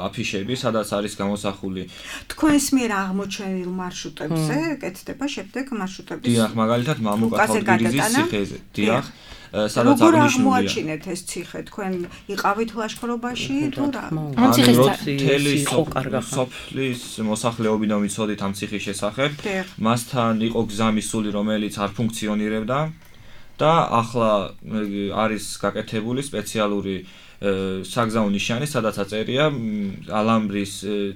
Speaker 6: აფიშები, სადაც არის გამოსახული
Speaker 2: თქვენს მიერ აღმოჩენილ მარშრუტებზე, კეთდება შემდეგ მარშრუტების.
Speaker 6: დიახ, მაგალითად, მამუკათალგირიზის ციხეზე. დიახ, სადაც
Speaker 2: როგორ
Speaker 6: აღნიშნულია.
Speaker 2: აღმოაჩინეთ ეს ციხე? თქვენ იყავით ლაშქრობაში თუ რა?
Speaker 4: ამ ციხეს
Speaker 6: მთელი სოფლის მოსახლეობიდან ვიცოდით ამ ციხის შესახებ. მასთან იყო გზამისული, რომელიც არ ფუნქციონირებდა და ახლა არის გაკეთებული სპეციალური საგზაო ნიშანი, სადაც აწერია ალამბრის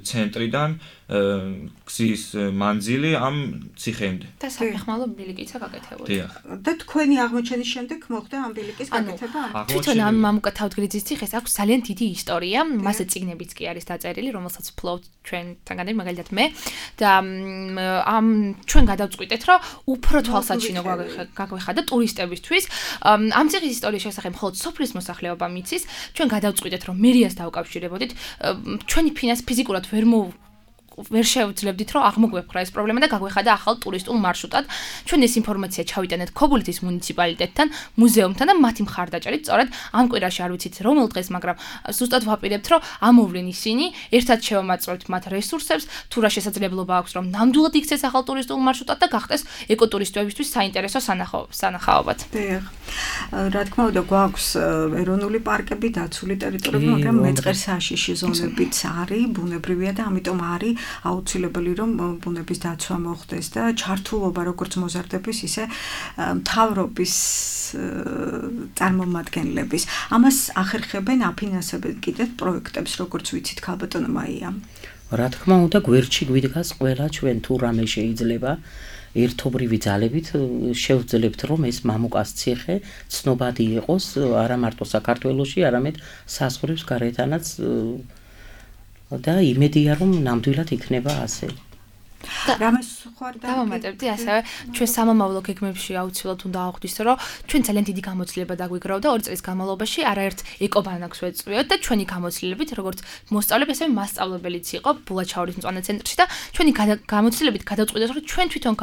Speaker 6: ცენტრიდან გზის მანძილი ამ ციხემდე.
Speaker 4: და საფეხმავლო ბილიკიცა გაკეთებული.
Speaker 6: დიახ.
Speaker 2: და თქვენი აღმოჩენის შემდეგ მოხდა ამ ბილიკის გაკეთება?
Speaker 4: თვითონ ამ მამუკათალგირიზის ციხეს აქვს ძალიან დიდი ისტორია, მასზე წიგნებიც კი არის დაწერილი, რომელსაც ფლობთ ჩვენთანგანი, მაგალითად მე და ამ ჩვენ გადავწყვიტეთ, რომ უფრო თვალსაჩინო გაგვეხადა ტურისტებისთვის. ამ ციხის ისტორიის შესახებ მხოლოდ სოფლის მოსახლეობა მიცის. ჩვენ გადავწყვიტეთ, რომ მერიას დავკავშირებოდით, ჩვენი ფინანს ფიზიკურად ვერ მო ვერ შევძლებდით, რომ აღმოგვეფხვრა ეს პრობლემა და გაგვეხადა ახალ ტურისტულ მარშრუტად. ჩვენ ეს ინფორმაცია ჩავიტანეთ ქობულეთის მუნიციპალიტეტთან, მუზეუმთან და მათი მხარდაჭერით, სწორედ ამ კვირაში არ ვიცით რომელ დღეს, მაგრამ ზუსტად ვაპირებთ, რომ ამოვლენ ისინი, ერთად შევამაწვევთ მათ რესურსებს, თუ რა შესაძლებლობა აქვს, რომ ნამდვილად იქცეს ახალ ტურისტულ მარშრუტად და გახდეს ეკოტურისტებისთვის საინტერესო სანახაობად.
Speaker 2: დიახ. რა თქმა უნდა, გვაქვს ეროვნული პარკები, დაცული ტერიტორიები, მაგრამ მეწყერსაშიში ზონებიც არის, ბუნებრივია და ამიტომ არის აუცილებელი რომ ბუნების დაცვა მოხდეს და ჩართულობა როგორც მოზარდების ისე მთავრობის წარმომადგენლების. ამას ახერხებენ, აფინანსებენ კიდევ პროექტებს, როგორც ვიცით, ქალბატონო მაია.
Speaker 3: რა თქმა უნდა, გვერდში გვიდგას ყველა ჩვენ თუ რამე შეიძლება ერთობრივი ძალებით შევძლებთ, რომ ეს მამუკას ციხე ცნობადი იყოს არა მარტო საქართველოში, არამედ საზღვრებს გარეთანაც და იმედია, რომ ნამდვილად იქნება ასე.
Speaker 2: რამეს სხვა
Speaker 4: დავამატებდი ასევე ჩვენ სამომავლო გეგმებში აუცილებლად უნდა აღვხდეს რომ ჩვენ ძალიან დიდი გამოცდილება დაგვიგროვდა ორი წლის განმავლობაში არაერთ ეკობანაკს ვეწვიოთ და ჩვენი გამოცდილებით როგორც მოსწავლეები ასევე მასწავლებელიც იყო ბულაჩაურის მწვანე ცენტრში და ჩვენი გამოცდილებით გადავწყვიტეთ რომ ჩვენ თვითონ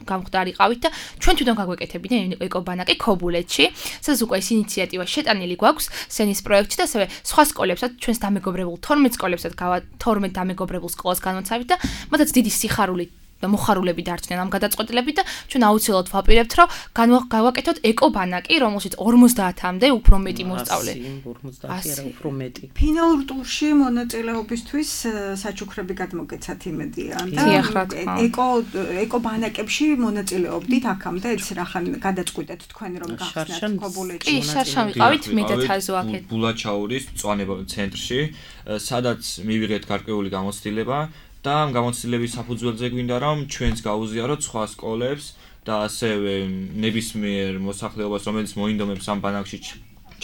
Speaker 4: გამხდარიყავით და ჩვენ თვითონ გაგვეკეთებინა ეკობანაკი ქობულეთში სადაც უკვე ეს ინიციატივა შეტანილი გვაქვს სენის პროექტში და ასევე სხვა სკოლებსაც ჩვენს დამეგობრებულ თორმეტ სკოლებსაც გავა თორმეტ დამეგობრებულ სკოლას განმოცავით და მათაც დიდი სიხარული და მოხარულები დარჩნენ ამ გადაწყვეტილებით და ჩვენ აუცილებლად ვაპირებთ რომ გავაკეთოთ ეკობანაკი რომელშიც ორმოცდაათამდე უფრო მეტი მოსწავლე
Speaker 3: ორმოცდაათი არა უფრო მეტი
Speaker 2: ფინალურ ტურში მონაწილეობისთვის საჩუქრები გადმოგეცათ იმედია და ეკო ეკობანაკებში მონაწილეობდით აქამდე ეს რახან გადაწყვეტეთ თქვენ რომ გახსნათ ქობულეთში
Speaker 4: კი შარშან ვიყავით მე და თაზო აქეთ
Speaker 6: ბულაჩაურის მწვანე ცენტრში სადაც მივიღეთ გარკვეული გამოცდილება და ამ გამოცდილების საფუძველზე გვინდა რომ ჩვენს გაუზიაროთ სხვა სკოლებს და ასევე ნებისმიერ მოსახლეობას რომელიც მოინდომებს ამ ბანაკში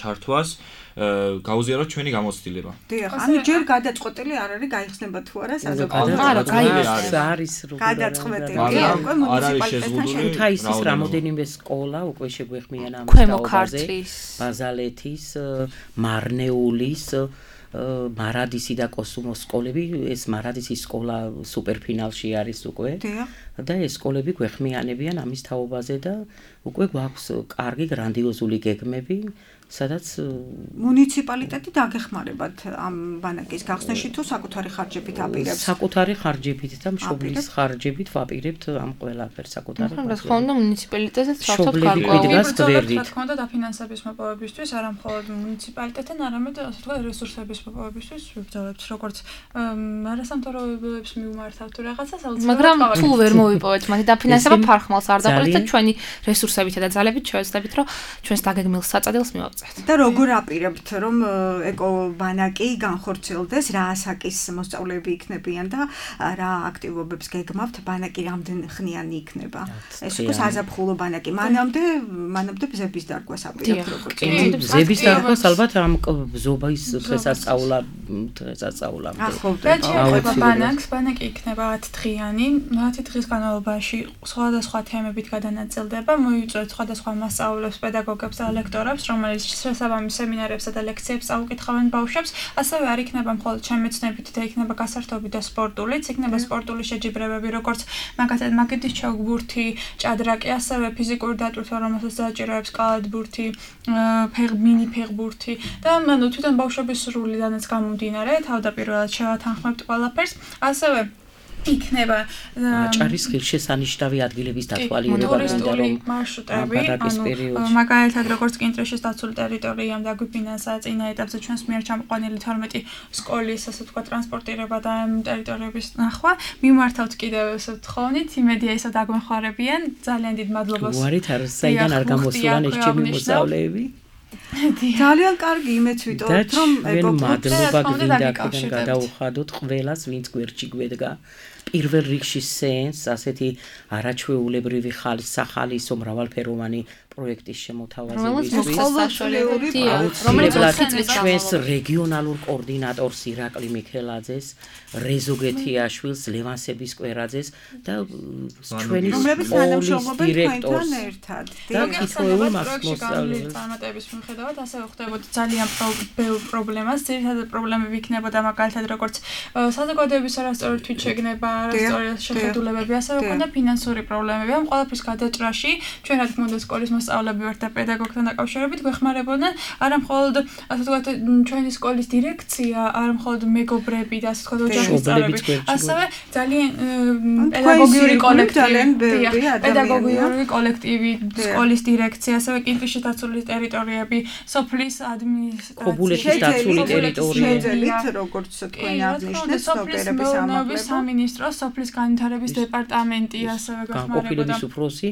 Speaker 6: ჩართვას გაუზიაროთ ჩვენი გამოცდილება.
Speaker 2: დიახ, ანუ ჯერ გადაწყვეტილი არ არის გაიხსნება თუ არა საზოგადოებაში.
Speaker 3: არა, გაიხსნება არის როგორ
Speaker 2: გადაწყვეტილი. უკვე მუნიციპალიტეტთან
Speaker 3: ქუთაისის რამოდენიმე სკოლა უკვე შეგვეხმიან ამ
Speaker 4: ქვემოქართლის,
Speaker 3: ბაზალეთის, მარნეულის მარადისი და კოსუმოს სკოლები, ეს მარადისის სკოლა სუპერფინალში არის უკვე. და ეს სკოლები გვეხმიანებიან ამის თაობაზე და უკვე გვაქვს კარგი გრანდიოზული გეგმები, სადაც
Speaker 2: მუნიციპალიტეტი დაგეხმარებათ ამ ბანაკის გახსნაში თუ საკუთარი ხარჯებით აპირებს?
Speaker 3: საკუთარი ხარჯებით და მშობლის ხარჯებით ვაპირებთ ამ ყველაფერს საკუთარი ხარჯებით.
Speaker 4: რა თქმა უნდა, მუნიციპალიტეტსაც საერთოდ
Speaker 3: გვიდგას გვერდით.
Speaker 5: რა თქმა უნდა, დაფინანსების მოპოვებისთვის არა მხოლოდ მუნიციპალიტეტთან, არამედ ასე ვთქვათ, რესურსების მოპოვებისთვის ვიბრძოლებთ, როგორც არასამთავრობოებს მივმართავთ თუ რაღაცას, აუცილებლად
Speaker 4: მაგრამ თუ ვერ მოვიპოვეთ მათი დაფინანსება ფარხმალს არ დაყოლით და ჩვენი რესურსებითა და ძალებით შევეცდებით, რომ ჩვენს დაგეგმილ საწადილს მივაღწევთ.
Speaker 2: და როგორ აპირებთ რომ ეკობანაკი განხორციელდეს, რა ასაკის მოსწავლეები იქნებიან და რა აქტივობებს გეგმავთ, ბანაკი რამდენ ხნიანი იქნება? ეს უკვე საზაფხულო ბანაკი. მანამდე, მანამდე ბზების დარგვას აპირებთ როგორც.
Speaker 3: ბზების დარგვას ალბათ ამ ბზობის დღესასწაულა დღესასწაულამდე.
Speaker 5: და შეიძლება ბანაკს, ბანაკი იქნება ათი დღიანი, ათი დღის განმავლობაში სხვადასხვა თემებით გადანაწილდება, მოიწვევთ სხვადასხვა მასწავლებლებს, პედაგოგებს და ლექტორებს, რომელიც შესაბამის სემინარებსა და ლექციებს წაუკითხავენ ბავშვებს, ასევე არ იქნება მხოლოდ შემეცნებით და იქნება გასართობი და სპორტულიც, იქნება სპორტული შეჯიბრებები, როგორც მაგათად მაგეთის ჩოგბურთი, ჭადრაკი, ასევე ფიზიკური დატვირთვა, რომელსაც დააჭიროებს კალათბურთი, მინი ფეხბურთი და ანუ თვითონ ბავშვების სრულიდანაც გამომდინარე, თავდაპირველად შევათანხმებთ ყველაფერს, ასევე იქნება
Speaker 3: აჭარის ღირსშესანიშნავი ადგილების დათვალიერება
Speaker 5: და რომ მარშრუტები, ანუ მაგალითად როგორც კინტრეშის დაცული ტერიტორიამ დაგვიფინანსა წინა ეტაპზე ჩვენს მიერ ჩამოყვანილი თორმეტი სკოლის, ასე ვთქვათ, ტრანსპორტირება და ამ ტერიტორიების ნახვა. მიმართავთ კიდევ ესე ვთხოვნით, იმედია ისე დაგვეხმარებიან. ძალიან დიდ მადლობას.
Speaker 3: უარით არ საიდან არ გამოსულან ეს ჩემი მოსწავლეები.
Speaker 2: ძალიან კარგი იმეც ვიტოვებთ, რომ
Speaker 3: ეკობანაკი მადლობა გინდა აქედან გადაუხადოთ ყველას, ვინც გვერდში გვედგა. პირველ რიგში სენს, ასეთი არაჩვეულებრივი ხალის სახალისო მრავალფეროვანი პროექტის შემოთავაზებისთვის, რომელიც ჩვენს რეგიონალურ კოორდინატორს ირაკლი მიქელაძეს, რეზო გეთიაშვილს, ლევან სებისკვერაძეს და ჩვენი სკოლის დირექტორს და თითოეულ მასწავლებელს
Speaker 5: წარმატების მიუხედავად ასევე ხდებოდა ძალიან ბევრ პრობლემას, ძირითადად პრობლემები იქნებოდა მაგალითად როგორც საზოგადოების არასწორი თვითშეგნება, არასწორი შეხედულებები, ასევე ჰქონდა ფინანსური პრობლემები. ამ ყველაფრის გადაჭრაში ჩვენ რა თქმა უნდა სკოლის მასწავლებლები ვართ და პედაგოგთან დაკავშირებით გვეხმარებოდნენ არა მხოლოდ ასე ვთქვათ ჩვენი სკოლის დირექცია, არა მხოლოდ მეგობრები და ასე ვთქვათ ოჯახის წევრები, ასევე ძალიან პედაგოგიური კოლექტივი, პედაგოგიური კოლექტივი, სკოლის დირექცია, ასევე კინტრეშის დაცული ტერიტორიები, სოფლის ადმინისტრაცია,
Speaker 3: ქობულეთის დაცული ტერიტორიები,
Speaker 2: შეძელით როგორც თქვენ აღნიშნეთ, ოპერების ამაღლება,
Speaker 5: სამინისტრო, სოფლის განვითარების დეპარტამენტი ასევე
Speaker 3: განყოფილების უფროსი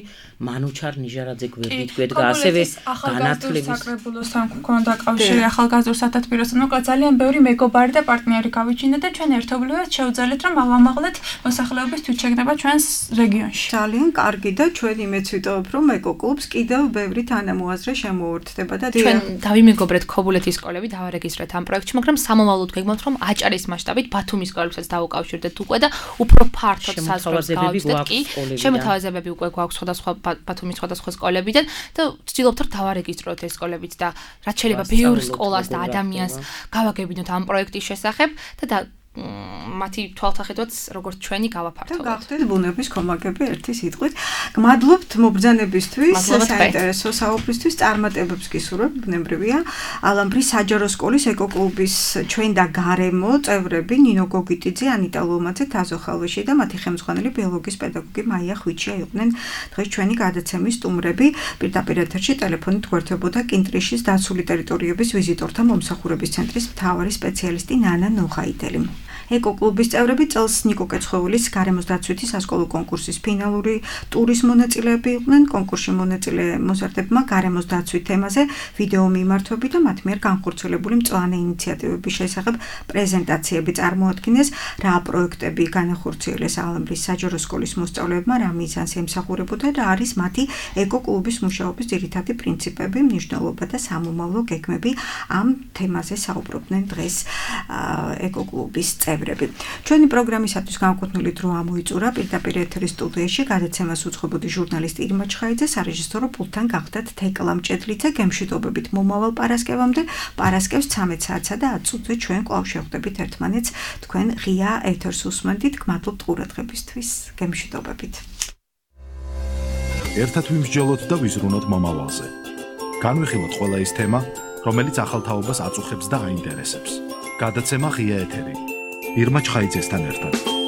Speaker 3: მანუჩარ ნიჟარაძე გვერდით გვედგა ასევე განათლების
Speaker 5: საკრებულოსთან მქონდა კავშირი ახალგაზრდულ სათათბიროსთან. მოკლედ ძალიან ბევრი მეგობარი და პარტნიორი გავიჩინდა და ჩვენ ერთობლივად შევძელეთ რომ ავამაღლეთ მოსახლეობის თვითშეგნება ჩვენს რეგიონში.
Speaker 2: ძალიან კარგი და ჩვენ იმეც ვიტოვებ რომ ეკოკლუბს კიდევ ბევრი თანამოაზრე შემოუერთდება და
Speaker 4: ჩვენ დავიმეგობრეთ ქობულეთის სკოლები დავარეგისტრეთ ამ პროექტში, მაგრამ სამომავლოდ გეგმავთ რომ აჭარის მასშტაბით ბათუმის სკოლებსაც დავუკავშირდეთ უკვე და უფრო ფართოდ საზღვრებს გავაცდეთ კი. შემოთავაზებები უკვე გვაქვს სხვადასხვა ბათუმის სხვადასხვა სკოლებიდან და ვცდილობთ რომ დავარეგისტროთ ეს სკოლებიც და რაც შეიძლება ბევრ სკოლას და ადამიანს გავაგებინოთ ამ პროექტის შესახებ და მათი თვალსაჩინოც როგორც ჩვენი გავაფართოვოთ.
Speaker 2: და გახდეთ ბუნების კომაგები ერთი სიტყვით. გმადლობთ მობრძანებისთვის, საინტერესო საუბრისთვის, წარმატებებს გისურვებ, ბუნებრივია. ალამბრის საჯარო სკოლის ეკოკლუბის ჩვენ და გარემო წევრები ნინო გოგიტიძე, ანიტა ლომაძე, თაზო ხალვეში და მათი ხელმძღვანელი ბიოლოგიის პედაგოგი მაია ხვიჩია იყვნენ დღეს ჩვენი გადაცემის სტუმრები. პირდაპირ ეთერში ტელეფონით გვერდებოდა კინტრიშის დაცული ტერიტორიების ვიზიტორთა მომსახურების ცენტრის მთავარი სპეციალისტი ნანა ნოხაიდელი. ეკოკლუბის წევრები წელს ნიკო კეცხოველის გარემოს დაცვითი სასკოლო კონკურსის ფინალური ტურის მონაწილეები იყვნენ. კონკურსში მონაწილე მოზარდებმა გარემოს დაცვით თემაზე ვიდეო მიმართვები და მათ მიერ განხორციელებული მწვანე ინიციატივების შესახებ პრეზენტაციები წარმოადგინეს. რა პროექტები განახორციელეს ალამბრის საჯარო სკოლის მოსწავლეებმა, რა მიზანს ემსახურებოდა და არის მათი ეკოკლუბის მუშაობის ძირითადი პრინციპები, მნიშვნელობა და სამომავლო გეგმები. ამ თემაზე საუბრობდნენ დღეს ეკოკლუბის წევრები. ჩვენი პროგრამისათვის განკუთვნილი დრო ამოიწურა. პირდაპირ ეთერის სტუდიაში გადაცემას უძღვებოდი ჟურნალისტი ირმა ჩხაიძე, სარეჟისორო პულტთან გახდათ თეკლა მჭედლიძე. გემშვიდობებით მომავალ პარასკევამდე. პარასკევს ცამეტ საათსა და ათ წუთზე ჩვენ კვლავ შევხვდებით ერთმანეთს. თქვენ ღია ეთერს უსმენთ. გმადლობთ ყურადღებისთვის. გემშვიდობებით.
Speaker 1: ერთად ვიმსჯელოთ და ვიზრუნოთ მომავალზე. განვიხილოთ ყველა ის თემა, რომელიც ახალ თაობას აწუხებს და აინტერესებს. გადაცემა ღია ეთერი. ირმა ჩხაიძესთან ერთად.